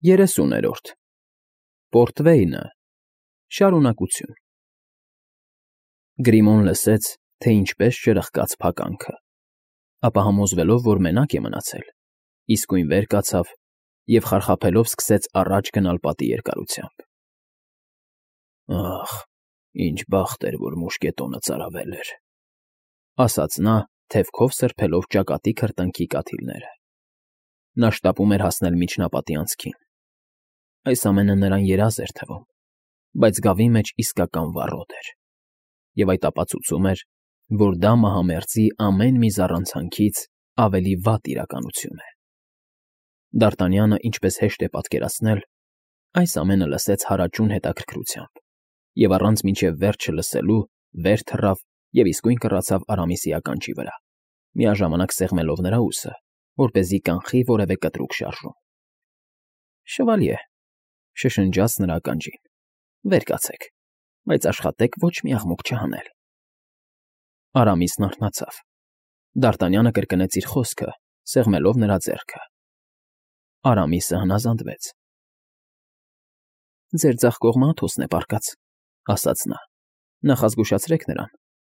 30-րդ Պորտվեյնը Շարունակություն Գրիմոն լսեց, թե ինչպես ճրխկաց փականքը, ապա համոզվելով, որ մենակ է մնացել, իսկույն վեր կացավ և խարխափելով սկսեց առաջ գնալ պատի երկարությամբ։ «Ախ, ինչ բախտ էր, որ մուշկետոնը ծարավել էր», ասաց նա, թևքով սրբելով ճակատի քրտինքի կաթիլները։ Նա շտապում էր հասնել միջնապատի անցքին։ Այս ամենը նրան երազ էր թվում, բայց գավի մեջ իսկական վառոդ էր, և այդ ապացուցում էր, որ դա մահամերձի ամեն մի զառանցանքից ավելի վատ իրականություն է։ Դ'Արտանյանը, ինչպես հեշտ է պատկերացնել, այս ամենը լսեց հարաճուն հետաքրքրությամբ և առանց մինչև վերջը լսելու վեր թռավ և իսկույն կռացավ Արամիսի ականջի վրա, միաժամանակ սեղմելով նրա ուսը, որպեսզի կանխի որևէ կտրուկ շարժում։ «Շվալյե», շշնջաց նրա ականջին, «վեր կացեք, բայց աշխատեք ոչ մի աղմուկ չհանել»։ Արամիսն արթնացավ։ Դ'Արտանյանը կրկնեց իր խոսքը, սեղմելով նրա ձեռքը։ Արամիսը հնազանդվեց։ «Ձեր ձախ կողմը Աթոսն է պառկած», ֊ ասաց նա։ «Նախազգուշացրեք նրան,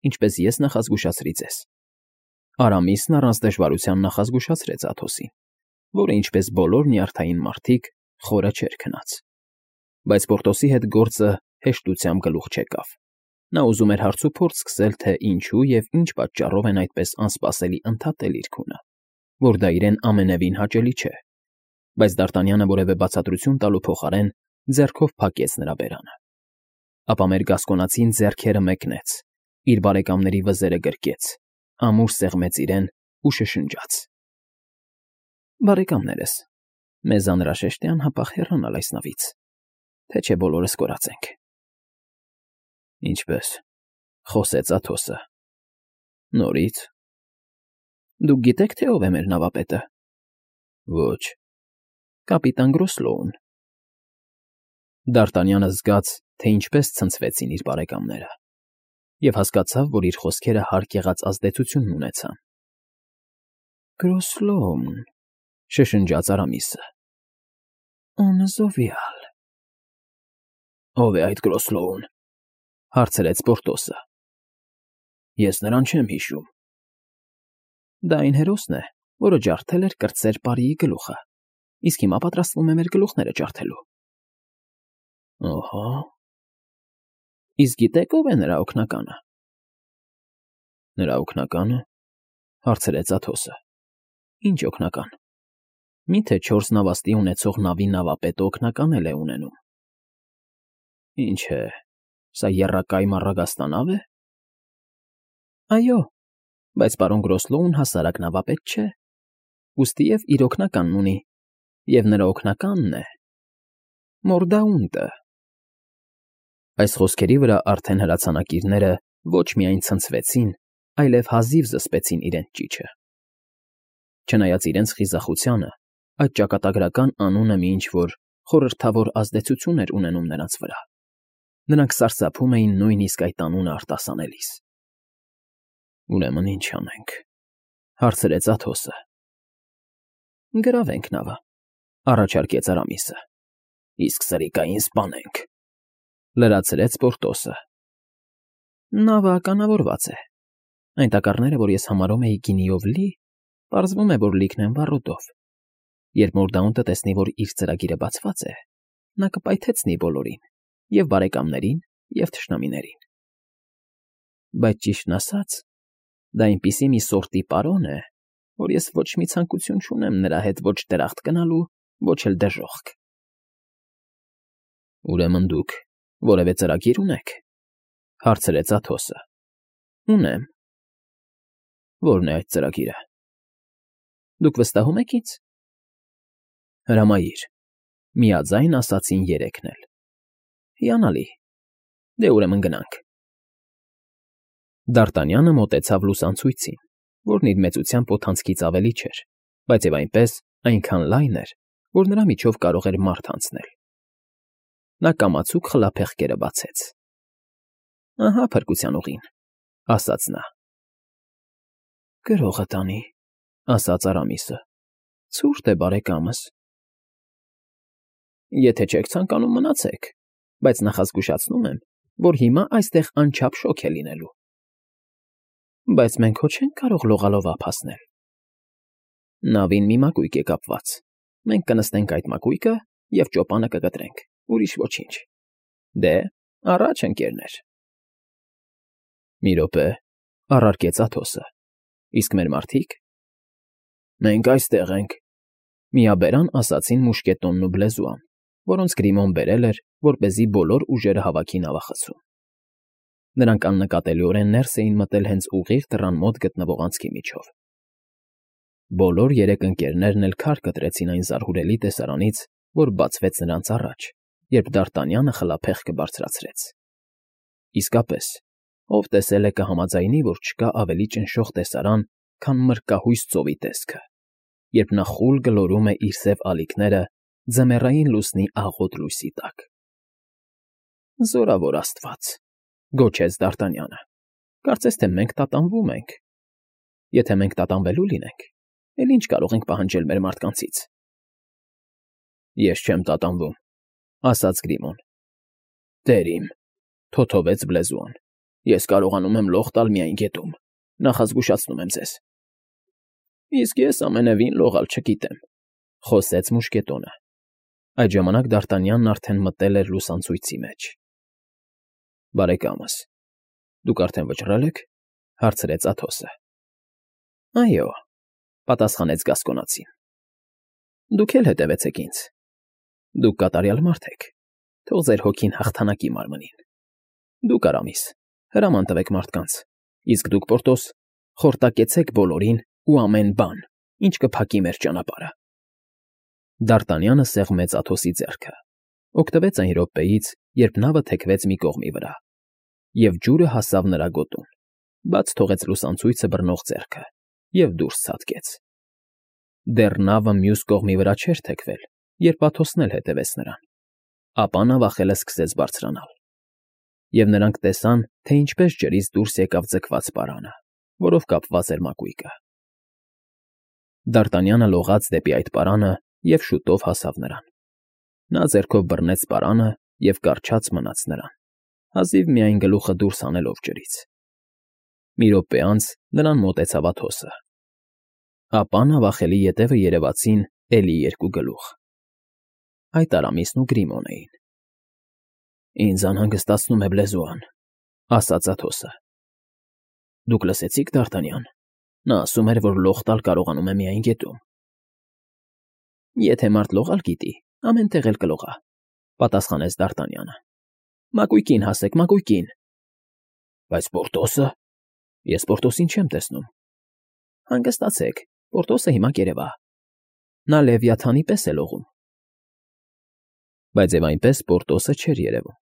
ինչպես ես նախազգուշացրի ձեզ»։ Արամիսն առանց դժվարության նախազգուշացրեց Աթոսին, որը, ինչպես բոլոր նյարդային մարդիկ, խորը չէր քնած։ Բայց Պորտոսի հետ գործը հեշտությամբ գլուխ չեկավ։ Նա ուզում էր հարցուփորձ սկսել, թե ինչու և ինչ պատճառով են այդպես անսպասելի ընդհատել իր քունը, որ դա իրեն ամենևին հաճելի չէ։ Բայց Դ'Արտանյանը որևէ բացատրություն տալու փոխարեն ձեռքով փակեց նրա բերանը։ Ապա մեր գասկոնացին ձեռքերը մեկնեց, իր բարեկամների վզերը գրկեց, ամուր սեղմեց իրեն ու շշնջաց. «Բարեկամներս, մեզ անհրաժեշտ է անհապաղ հեռանալ այս նավից, թե չէ բոլորս կորածենք»։ «Ինչպե՞ս», ֊ խոսեց Աթոսը։ «Նորից»։ «Դուք գիտեք, թե ով է մեր նավապետը»։ «Ոչ»։ «Կապիտան Գրոսլոուն»։ Դ'Արտանյանը զգաց, թե ինչպես ցնցվեցին իր բարեկամները, և հասկացավ, որ իր խոսքերը հարկ եղած ազդեցություն ունեցան։ «Գրոսլոուն», ֊ շշնջաց Արամիսը։ «On zovial»։ «Ո՞վ է այդ Գրոսլոուն», ֊ հարցրեց Պորտոսը։ «Ես նրան չեմ հիշում»։ «Դա այն հերոսն է, որը ջարդել էր կրտսեր պարիի գլուխը, իսկ հիմա պատրաստվում է մեր գլուխները ջարդելու»։ «Ահա»։ «Իսկ գիտե՞ք ով է նրա օգնականը»։ «Նրա օգնակա՞նը», ֊ հարցրեց Աթոսը։ «Ինչ օգնական։ Մի՞թե 4 նավաստի ունեցող նավի նավապետը օգնական էլ է ունենում»։ «Ինչ է, սա եռակայմ առագաստանավ է»։ «Այո, բայց պարոն Գրոսլոուն հասարակ նավապետ չէ, ուստիև իր օգնականն ունի, և նրա օգնականն է Մորդաունտը»։ Այս խոսքերի վրա արդեն հրացանակիրները ոչ միայն ցնցվեցին, այլև հազիվ զսպեցին իրենց ճիչը։ Չնայած իրենց խիզախությանը, այդ ճակատագրական անունը մի ինչ֊որ խորհրդավոր ազդեցություն էր ունենում նրանց վրա։ Նրանք սարսափում էին նույնիսկ այդ անունը արտասանելիս։ «Ուրեմն ի՞նչ անենք», ֊ հարցրեց Աթոսը։ «Գրավենք նավը», ֊ առաջարկեց Արամիսը։ «Իսկ սրիկային սպանենք», ֊ լրացրեց Պորտոսը։ «Նավը ականավորված է։ Այն տակառները, որ ես համարում էի գինիով լի, պարզվում է, որ լիքն են վառոդով։ Երբ Մորդաունտը տեսնի, որ իր ծրագիրը բացված է, նա կպայթեցնի բոլորին, և բարեկամներին, և թշնամիներին։ Բայց ճիշտն ասած, դա այնպիսի մի սորտի պարոն է, որ ես ոչ մի ցանկություն չունեմ նրա հետ ոչ դրախտ գնալու, ոչ էլ դժոխք»։ «Ուրեմն դուք որևէ ծրագիր ունեք», ֊ հարցրեց Աթոսը։ «Ունեմ»։ «Ո՞րն է այդ ծրագիրը»։ «Դուք վստահում եք ինձ»։ «Հրամայիր», ֊ միաձայն ասացին երեքն էլ։ «Հիանալի, դե ուրեմն գնանք»։ Դ'Արտանյանը մոտեցավ լուսանցույցին, որն իր մեծությամբ օդանցքից ավելի չէր, բայց և այնպես այնքան լայն էր, որ նրա միջով կարող էր մարդ անցնել։ Նա կամացուկ խլափեղկերը բացեց։ «Ահա փրկության ուղին», ֊ ասաց նա։ «Գրողը տանի», ֊ ասաց Արամիսը։ «Ցուրտ է, բարեկամս»։ Եթե չեք ցանկանում, մնացեք, բայց նախազգուշացնում եմ, որ հիմա այստեղ անչափ շոգ է լինելու։ Բայց մենք հո չենք կարող լողալով ափ հասնել։ Նավին մի մակույկ է կապված։ Մենք կնստենք այդ մակույկը և ճոպանը կկտրենք, ուրիշ ոչինչ։ Դե, առաջ, ընկերներ։ Մի րոպե, առարկեց Աթոսը։ Իսկ մեր մարդիկ։ Մենք այստեղ ենք, միաբերան ասացին մուշկետոնն ու բլեզուան, որոնց Գրիմոն բերել էր, որպեսզի բոլոր ուժերը հավաքի նավախցում։ Նրանք աննկատելիորեն ներս էին մտել հենց ուղիղ դռան մոտ գտնվող անցքի միջով։ Բոլոր երեք ընկերներն էլ քար կտրեցին այն զարհուրելի տեսարանից, որ բացվեց նրանց առաջ, երբ Դ'Արտանյանը խլափեղկը բարձրացրեց։ Իսկապես, ով տեսել է կհամաձայնի, որ չկա ավելի ճնշող տեսարան, քան մրրկահույս ծովի տեսքը, երբ նա խուլ գլորում է իր սև ալիքները ձմեռային լուսնի աղոտ լույսի տակ։ Զորավոր Աստված, գոչեց Դ'Արտանյանը, կարծես թե մենք տատանվում ենք։ Եթե մենք տատանվելու լինենք, էլ ինչ կարող ենք պահանջել մեր մարդկանցից։ Ես չեմ տատանվում, ասաց Գրիմոն։ Տեր իմ, թոթովեց բլեզուան, ես կարողանում եմ լող տալ միայն գետում, նախազգուշացնում եմ ձեզ։ Իսկ ես ամենևին լողալ չգիտեմ, խոսեց մուշկետոնը։ Այդ ժամանակ Դ'Արտանյանն արդեն մտել էր լուսանցույցի մեջ։ Բարեկամս, դուք արդեն վճռել եք, հարցրեց Աթոսը։ Այո, պատասխանեց Գասկոնացին։ Դուք էլ հետևեցեք ինձ։ Դուք կատարյալ մարդ եք, թող ձեր հոգին հաղթանակի մարմնին։ Դուք Արամիս, հրաման տվեք մարդկանց, իսկ դուք Պորտոս, խորտակեցեք բոլորին ու ամեն բան, ինչ կփակի մեր ճանապարհը։ Դ'Արտանյանը սեղմեց Աթոսի ձեռքը, օգտվեց այն րոպեից, երբ նավը թեքվեց մի կողմի վրա, և ջուրը հասավ նրա գոտուն, բաց թողեց լուսանցույցը բռնող ձեռքը և դուրս ցատկեց։ Դեռ նավը մյուս կողմի վրա չէր թեքվել, երբ Աթոսն էլ հետևեց նրան, ապա նավախելը սկսեց բարձրանալ, և նրանք տեսան, թե ինչպես ջրից դուրս եկավ ձգված պարանը, որով կապված էր մակույկը։ Դ'Արտանյանը լողաց դեպի այդ պարանը և շուտով հասավ նրան։ Նա ձեռքով բռնեց պարանը և կառչած մնաց նրան, հազիվ միայն գլուխը դուրս հանելով ջրից։ Մի րոպե անց նրան մոտեցավ Աթոսը։ Ապա նավախելի ետևը երևացին էլի երկու գլուխ։ Այդ Արամիսն ու Գրիմոն էին։ Ինձ անհանգստացնում է բլեզուան, ասաց Աթոսը։ Դուք լսեցի՞ք, Դ'Արտանյան։ Նա ասում էր, որ լող տալ կարողանում է միայն գետում։ Եթե մարդ լողալ գիտի, ամեն տեղ էլ կլողա, պատասխանեց Դ'Արտանյանը։ Մակույկին հասեք, մակույկին։ Բայց Պորտոսը։ Ես Պորտոսին չեմ տեսնում։ Հանգստացեք, Պորտոսը հիմա կերևա։ Նա Լևիաթանի պես է լողում։ Բայց եւ այնպես Պորտոսը չէր երևում։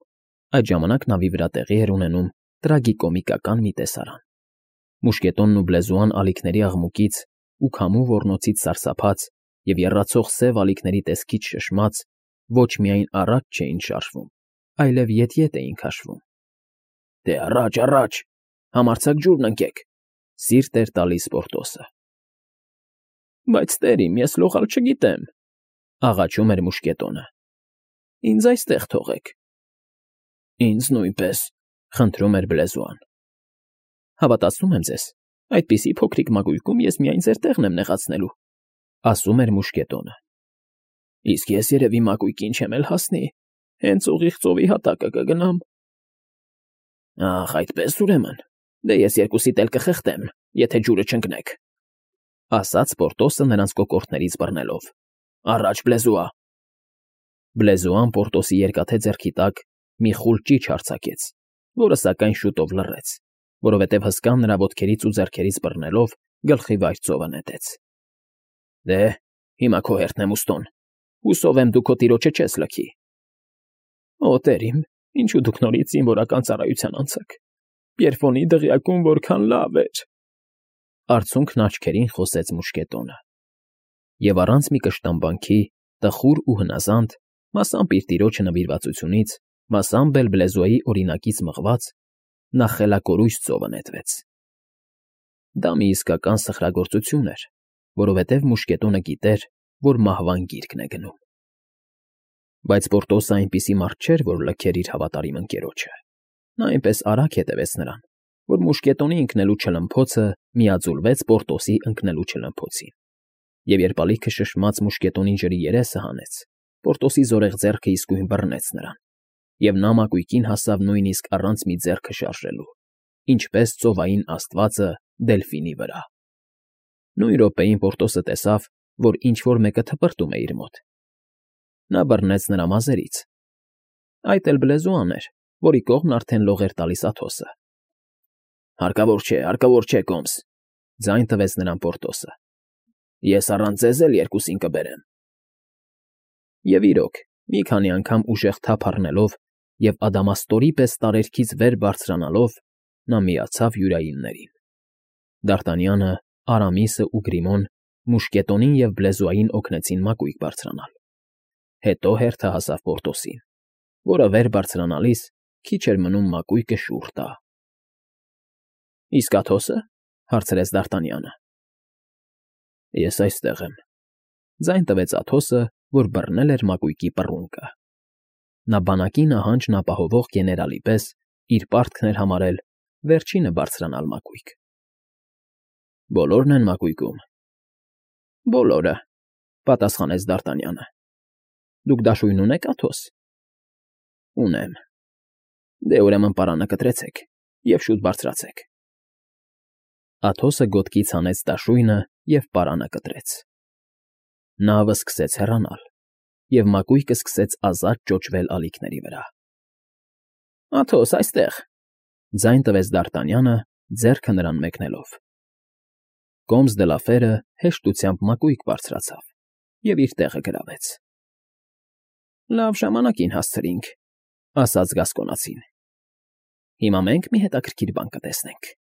Այդ ժամանակ նավի վրա տեղի էր ունենում տրագիկոմիկական մի տեսարան։ Մուշկետոնն ու բլեզուան ալիքների աղմուկից ու քամու ոռնոցից սարսափած և եռացող սև ալիքների տեսքից շշմած ոչ միայն առաջ չէին շարժվում, այլև ետ-ետ էին քաշվում։ Դե առաջ, առաջ, համարձակ ջուրն ընկեք, սիրտ էր տալիս Պորտոսը։ Բայց տեր իմ, ես լողալ չգիտեմ, աղաչում էր մուշկետոնը։ Ինձ այստեղ թողեք։ Ինձ նույնպես, խնդրում էր բլեզուան։ Հավատացնում եմ ձեզ, այդպիսի փոքրիկ մակույկում ես միայն ձեր տեղն եմ նեղացնելու, ասում էր մուշկետոնը։ Իսկ ես երևի մակույկին չեմ էլ հասնի, հենց ուղիղ ծովի հատակը կգնամ։ Ախ, այդպես ուրեմն, դե ես երկուսիդ էլ կխեղդեմ, եթե ջուրը չընկնեք, ասաց Պորտոսը նրանց կոկորդներից բռնելով։ Առաջ, բլեզուա։ Բլեզուան Պորտոսի երկաթե ձեռքի տակ մի խուլ ճիչ արձակեց, որը սակայն շուտով լռեց, որովհետև հսկան նրա ոտքերից ու ձեռքերից բռնելով գլխի վայր ծովը նետեց։ Դե, հիմա քո հերթն է, Մուստոն, հուսով եմ դու քո տիրոջը չես լքի։ Օ, տեր իմ, ինչու դուք նորից զինվորական ծառայության անցաք։ Պիերֆոնի դղյակում որքան լավ էր։ Արցունքն աչքերին խոսեց մուշկետոնը։ Եվ առանց մի կշտամբանքի, տխուր ու հնազանդ, մասամբ իր տիրոջը նվիրվածությունից, մասամբ էլ բլեզուայի օրինակից մղված, նա խելակորույս ծովը նետվեց։ Դա մի իսկական սխրագործություն էր, որովհետև մուշկետոնը գիտեր, որ մահվան գիրկն է գնում։ Բայց Պորտոսը այնպիսի մարդ չէր, որ լքեր իր հավատարիմ ընկերոջը. նա այնպես արագ հետևեց նրան, որ մուշկետոնի ընկնելու չլմփոցը միաձուլվեց Պորտոսի ընկնելու չլմփոցին, և երբ ալիքը շշմած մուշկետոնի ջրի երեսը հանեց, Պորտոսի զորեղ ձեռքը իսկույն բռնեց նրան, և նա մակույկին հասավ նույնիսկ առանց մի ձեռքը շարժելու, ինչպես ծովային աստվածը Դելֆինի վրա։ Նույն րոպեին Պորտոսը տեսավ, որ ինչ֊որ մեկը թպրտում է իր մոտ։ Նա բռնեց նրա մազերից. այդ էլ բլեզուան էր, որի կողմն արդեն լող էր տալիս Աթոսը։ Հարկավոր չէ, Կոմս,֊ ձայն տվեց նրան Պորտոսը։ Ես առանց ձեզ էլ երկուսին կբերեմ։ Եվ իրոք, մի քանի անգամ ուժեղ թափ առնելով և ադամաստորի պես տարերքից վեր բարձրանալով, նա միացավ յուրայիններին։ Դարտանյանը, Արամիսը ու Գրիմոն մուշկետոնին և բլեզուային օգնեցին մակույկ բարձրանալ։ Հետո հերթը հասավ Պորտոսին, որը վեր բարձրանալիս քիչ էր մնում մակույկը շուռ տա։ Իսկ Աթոսը,֊ հարցրեց Դարտանյանը։ Ես այստեղ եմ,֊ ձայն տվեց Աթոսը, որ բռնել էր մակույկի պռունգը։ Նա բանակի նահանջն ապահովող գեներալի պես իր պարտքն էր համարել վերջինը բարձրանալ մակույկ։ Բոլորն են մակույկում։ Բոլորը,֊ պատասխանեց Դարտանյանը։ Դուք դաշույն ունե՞ք, Աթոս։ Ունեմ։ Դե ուրեմն պարանը կտրեցեք և շուտ բարձրացեք։ Աթոսը գոտկից հանեց դաշույնը և պարանը կտրեց։ Նավը սկսեց հեռանալ, և մակույկը սկսեց ազատ ճոճվել ալիքների վրա։ Աթոս, այստեղ,֊ ձայն տվեց Դարտանյանը, ձեռքը նրան մեկնելով։ Կոմս դե Լաֆերը հեշտությամբ մակույկ բարձրացավ և իր տեղը գրավեց։ Լավ ժամանակին հասցրինք,֊ ասաց Գասկոնացին։ Հիմա մենք մի հետաքրքիր բան կտեսնենք։